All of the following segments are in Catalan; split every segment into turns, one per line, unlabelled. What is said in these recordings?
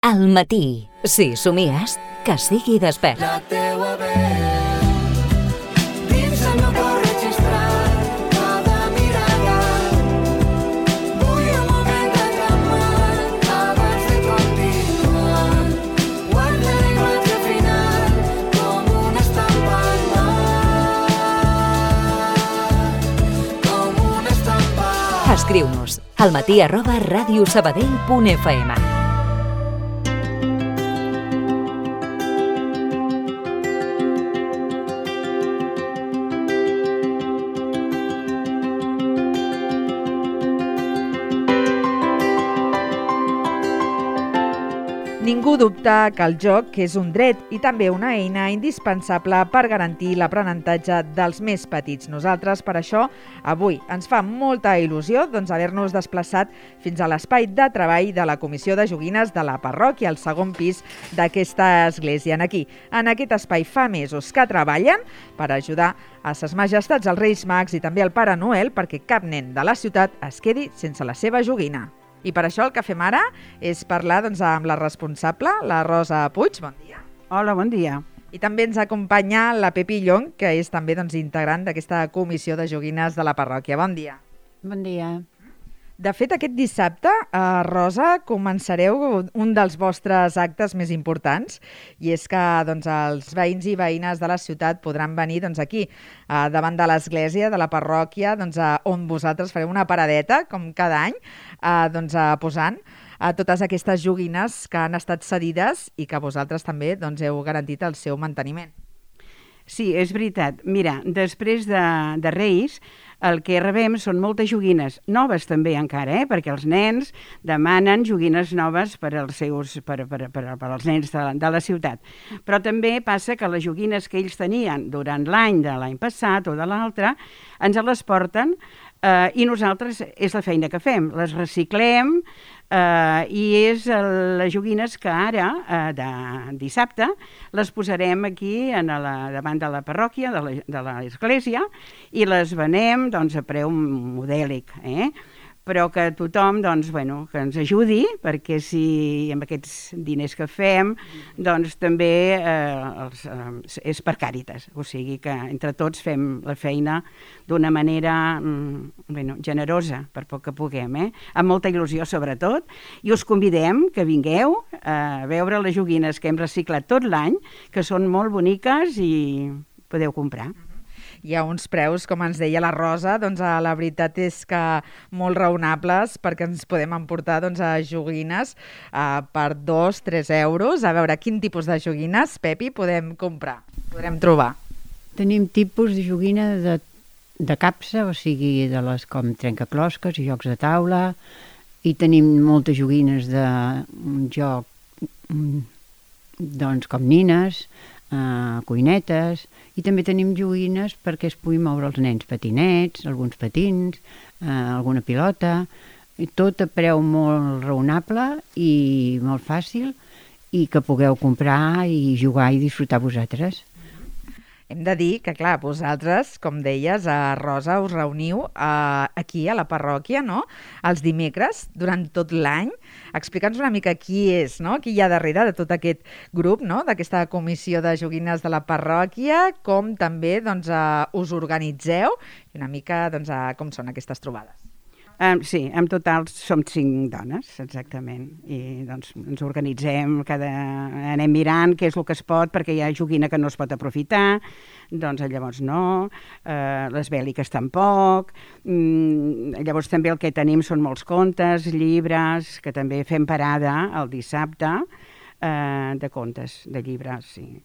Al matí. Si somies, que sigui despert.
La teua veu dins el meu cor registrat, cada mirada. Vull un moment de calmar abans de continuar. Guarda la imatge final com una estampa al mar, com una estampa.
Escriu-nos almatí@radiosabadell.fm.
Ningú dubta que el joc és un dret i també una eina indispensable per garantir l'aprenentatge dels més petits. Nosaltres, per això, avui ens fa molta il·lusió haver-nos desplaçat fins a l'espai de treball de la Comissió de Joguines de la parròquia, al segon pis d'aquesta església. Aquí, en aquest espai fa mesos que treballen per ajudar a ses majestats, els Reis Mags i també al Pare Noel perquè cap nen de la ciutat es quedi sense la seva joguina. I per això el que fem ara és parlar amb la responsable, la Rosa Puig. Bon dia.
Hola, bon dia.
I també ens acompanya la Pepi Llong, que és també integrant d'aquesta comissió de joguines de la parròquia. Bon dia.
Bon dia.
De fet, aquest dissabte, Rosa, començareu un dels vostres actes més importants, i és que els veïns i veïnes de la ciutat podran venir aquí, davant de l'església, de la parròquia, on vosaltres fareu una paradeta, com cada any, posant totes aquestes joguines que han estat cedides i que vosaltres també heu garantit el seu manteniment.
Sí, és veritat. Mira, després de Reis, el que rebem són moltes joguines, noves també encara, perquè els nens demanen joguines noves per als nens de la ciutat. Però també passa que les joguines que ells tenien durant l'any de l'any passat o de l'altre, ens les porten i nosaltres és la feina que fem. Les reciclem i és les joguines que ara, de dissabte, les posarem aquí davant de la parròquia, de l'església, i les venem a preu modèlic, però que tothom que ens ajudi, perquè si amb aquests diners que fem també és per Càritas, o sigui que entre tots fem la feina d'una manera generosa, per poc que puguem, amb molta il·lusió sobretot, i us convidem que vingueu a veure les joguines que hem reciclat tot l'any, que són molt boniques i podeu comprar.
Hi ha uns preus, com ens deia la Rosa, la veritat és que molt raonables, perquè ens podem emportar joguines per 2-3 euros. A veure, quin tipus de joguines, Pepi, podem comprar, podrem trobar?
Tenim tipus de joguina de capsa, o sigui, de les com trencaclosques i jocs de taula, i tenim moltes joguines de joc, com nines, cuinetes, i també tenim joguines perquè es puguin moure els nens, patinets, alguns patins, alguna pilota, tot a preu molt raonable i molt fàcil, i que pugueu comprar i jugar i disfrutar vosaltres.
Hem de dir que, clar, vosaltres, com deies, Rosa, us reuniu aquí a la parròquia, no?, els dimecres, durant tot l'any. Explica'ns una mica qui és, no?, qui hi ha darrere de tot aquest grup, no?, d'aquesta comissió de joguines de la parròquia, com també us organitzeu i una mica com són aquestes trobades.
Sí, en total som 5 dones, exactament, i ens organitzem, anem mirant què és el que es pot, perquè hi ha joguina que no es pot aprofitar, llavors no, les bèl·liques tampoc, llavors també el que tenim són molts contes, llibres, que també fem parada el dissabte de contes, de llibres, sí.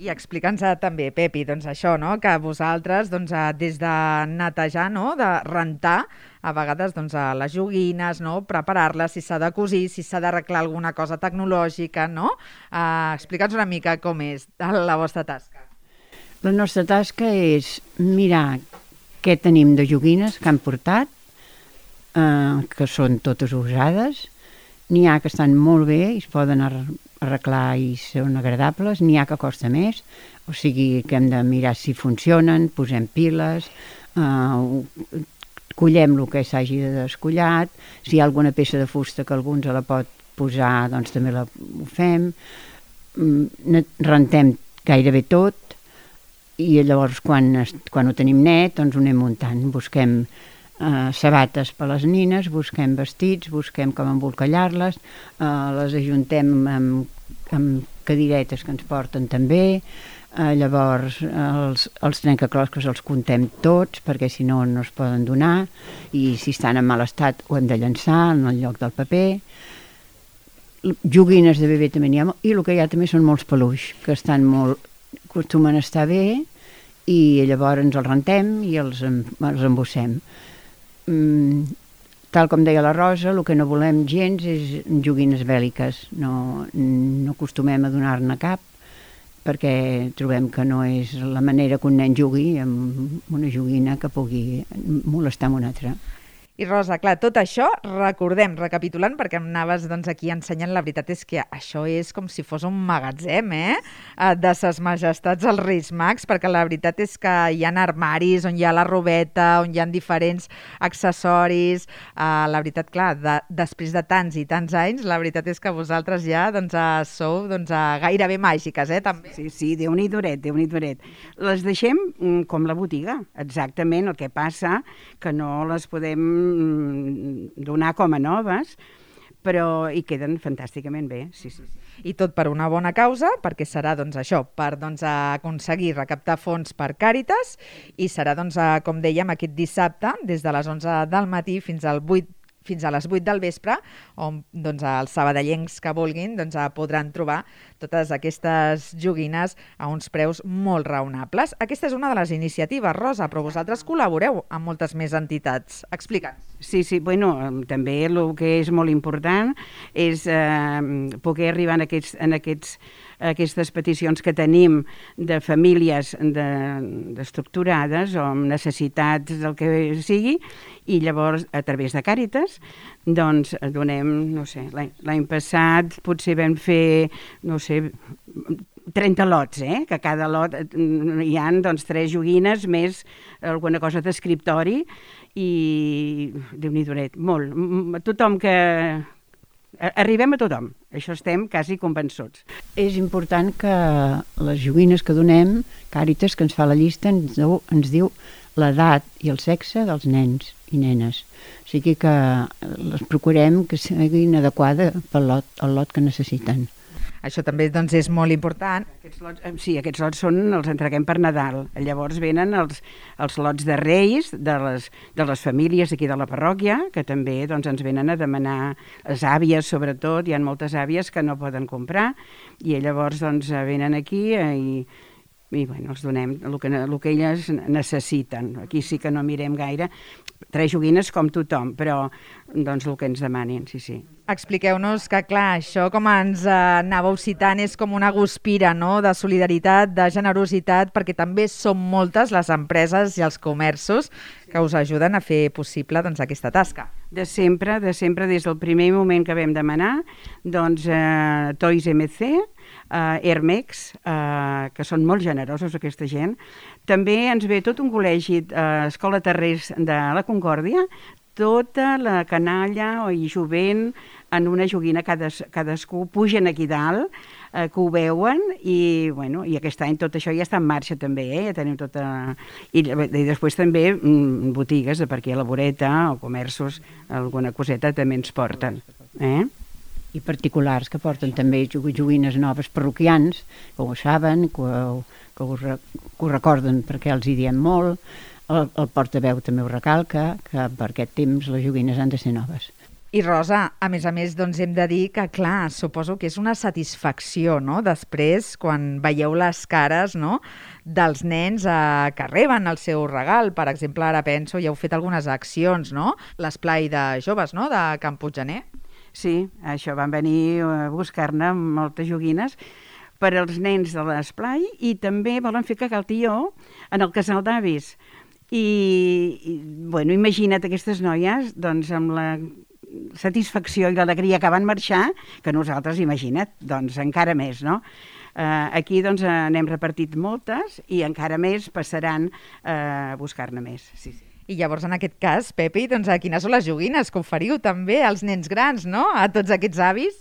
I explica'ns també, Pepi, això, no?, que vosaltres, des de netejar, no?, de rentar, a vegades les joguines, no?, preparar-les, si s'ha de cosir, si s'ha d'arreglar alguna cosa tecnològica, no? Explica'ns una mica com és la vostra tasca.
La nostra tasca és mirar què tenim de joguines que han portat, que són totes usades. N'hi ha que estan molt bé i es poden arreglar i són agradables, n'hi ha que costa més, o sigui que hem de mirar si funcionen, posem piles, collem el que s'hagi descollat, si hi ha alguna peça de fusta que algú ens la pot posar, doncs també ho fem, rentem gairebé tot, i llavors quan ho tenim net, doncs ho anem muntant. Busquem sabates per les nines, busquem vestits, busquem com embolcallar-les, les ajuntem amb cadiretes que ens porten també. Llavors els trencaclosques els comptem tots perquè si no no es poden donar, i si estan en mal estat ho hem de llançar en el lloc del paper. Joguines de bebè també n'hi ha, i el que hi ha també són molts peluix que acostumen a estar bé, i llavors ens els rentem i els embossem. Tal com deia la Rosa, el que no volem gens és joguines bèl·liques, no acostumem a donar-ne cap, perquè trobem que no és la manera que un nen jugui amb una joguina que pugui molestar amb un altre.
I Rosa, clar, tot això, recapitulant, perquè em anaves aquí ensenyant, la veritat és que això és com si fos un magatzem, de ses majestats als Reis Mags, perquè la veritat és que hi ha armaris on hi ha la robeta, on hi ha diferents accessoris. La veritat, clar, després de tants i tants anys, la veritat és que vosaltres ja sou gairebé màgiques, també.
Sí, Déu-n'hi-doret, Déu-n'hi-doret. Les deixem com la botiga, exactament. El que passa que no les podem donar com a noves, però hi queden fantàsticament bé, sí.
I tot per una bona causa, perquè serà això, per aconseguir recaptar fons per Càritas, i serà, com dèiem, aquest dissabte, des de les 11 del matí fins a les 8 del vespre, on els sabadellencs que vulguin podran trobar totes aquestes joguines a uns preus molt raonables. Aquesta és una de les iniciatives, Rosa, però vosaltres col·laboreu amb moltes més entitats. Explica'ns.
Sí, bueno, també el que és molt important és poder arribar en aquestes peticions que tenim de famílies estructurades o amb necessitats del que sigui, i llavors a través de Càritas donem, no sé, l'any passat potser vam fer, no sé, 30 lots, que cada lot hi ha 3 joguines més alguna cosa d'escriptori, i Déu-n'hi-doret, molt. Tothom que... Arribem a tothom, això estem quasi convençuts.
És important que les joguines que donem, Càritas, que ens fa la llista, ens diu l'edat i el sexe dels nens i nenes. O sigui que les procurem que siguin adequades pel lot que necessiten.
Això també és molt important.
Aquests lots els entreguem per Nadal. Llavors venen els lots de Reis de les famílies aquí de la parròquia, que també ens venen a demanar, les àvies sobretot, hi ha moltes àvies que no poden comprar, i llavors venen aquí i bueno, els donem el que elles necessiten. Aquí sí que no mirem gaire, 3 joguines com tothom, però el que ens demanin, sí.
Expliqueu-nos que, clar, això, com ens anàveu citant, és com una guspira, no?, de solidaritat, de generositat, perquè també són moltes les empreses i els comerços que us ajuden a fer possible aquesta tasca.
De sempre, des del primer moment que vam demanar, Toys MC, Hermex, que són molt generosos aquesta gent. També ens ve tot un col·legi, Escola Terrers de la Concòrdia, tota la canalla i jovent en una joguina, cadascú pugen aquí dalt, que ho veuen, i aquest any tot això ja està en marxa també, ja tenim tota... I després també botigues de per aquí a la voreta o comerços, alguna coseta també ens porten.
I particulars que porten també joguines noves parroquians, que ho saben, que ho recorden perquè els hi diem molt. El portaveu també ho recalca, que per aquest temps les joguines han de ser noves.
I Rosa, a més, hem de dir que, clar, suposo que és una satisfacció, no?, després, quan veieu les cares, no?, dels nens que reben el seu regal. Per exemple, ara penso, ja heu fet algunes accions, no?, l'esplai de joves, no?, de Can Puiggener.
Sí, això van venir a buscar-ne moltes joguines per als nens de l'esplai, i també volen fer cagaltió en el casal d'avis. Imagina't aquestes noies, amb la satisfacció i l'alegria que van marxar, que nosaltres, imagina't, encara més, no? Aquí n'hem repartit moltes i encara més passaran a buscar-ne més, sí.
I llavors, en aquest cas, Pepi, doncs, quines són les joguines que oferiu també als nens grans, no?, a tots aquests avis?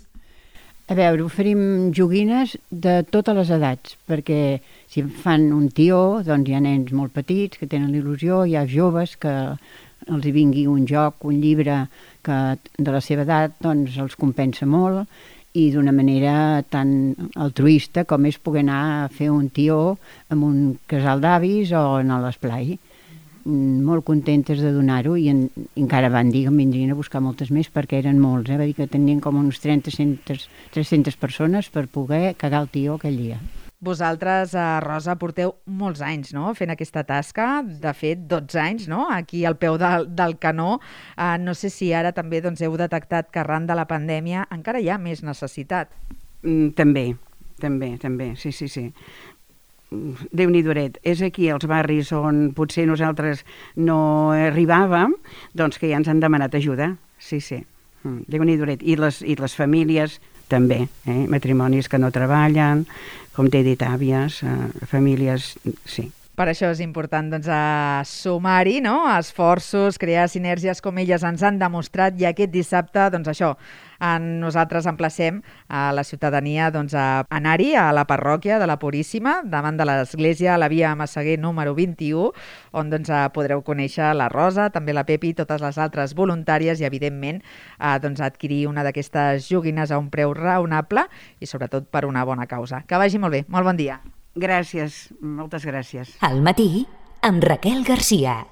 A veure, oferim joguines de totes les edats, perquè si fan un tió, doncs hi ha nens molt petits que tenen il·lusió, hi ha joves que els hi vingui un joc, un llibre que de la seva edat doncs els compensa molt, i d'una manera tan altruista com és poder anar a fer un tió amb un casal d'avis o en l'esplai. Molt contentes de donar-ho i encara van dir que em vindrien a buscar moltes més perquè eren molts, va dir que tenien com uns 300 persones per poder cagar el tió aquell dia.
Vosaltres, Rosa, porteu molts anys, no?, fent aquesta tasca, de fet 12 anys, no?, aquí al peu del canó. No sé si ara també doncs, heu detectat que arran de la pandèmia encara hi ha més necessitat.
També, sí. Déu-n'hi-doret, és aquí als barris on potser nosaltres no arribàvem, doncs que ja ens han demanat ajuda, sí. Déu-n'hi-doret. I les famílies també, matrimonis que no treballen, com t'he dit, àvies, famílies, sí.
Per això és important doncs, sumar-hi, no?, esforços, crear sinergies com elles ens han demostrat, i aquest dissabte, doncs això, nosaltres emplacem a la ciutadania doncs, a anar-hi a la parròquia de la Puríssima, davant de l'església, a la via Massaguer número 21, on doncs, podreu conèixer la Rosa, també la Pepi i totes les altres voluntàries, i evidentment doncs, adquirir una d'aquestes joguines a un preu raonable i sobretot per una bona causa. Que vagi molt bé, molt bon dia.
Gràcies, moltes gràcies.
Al matí, amb Raquel Garcia.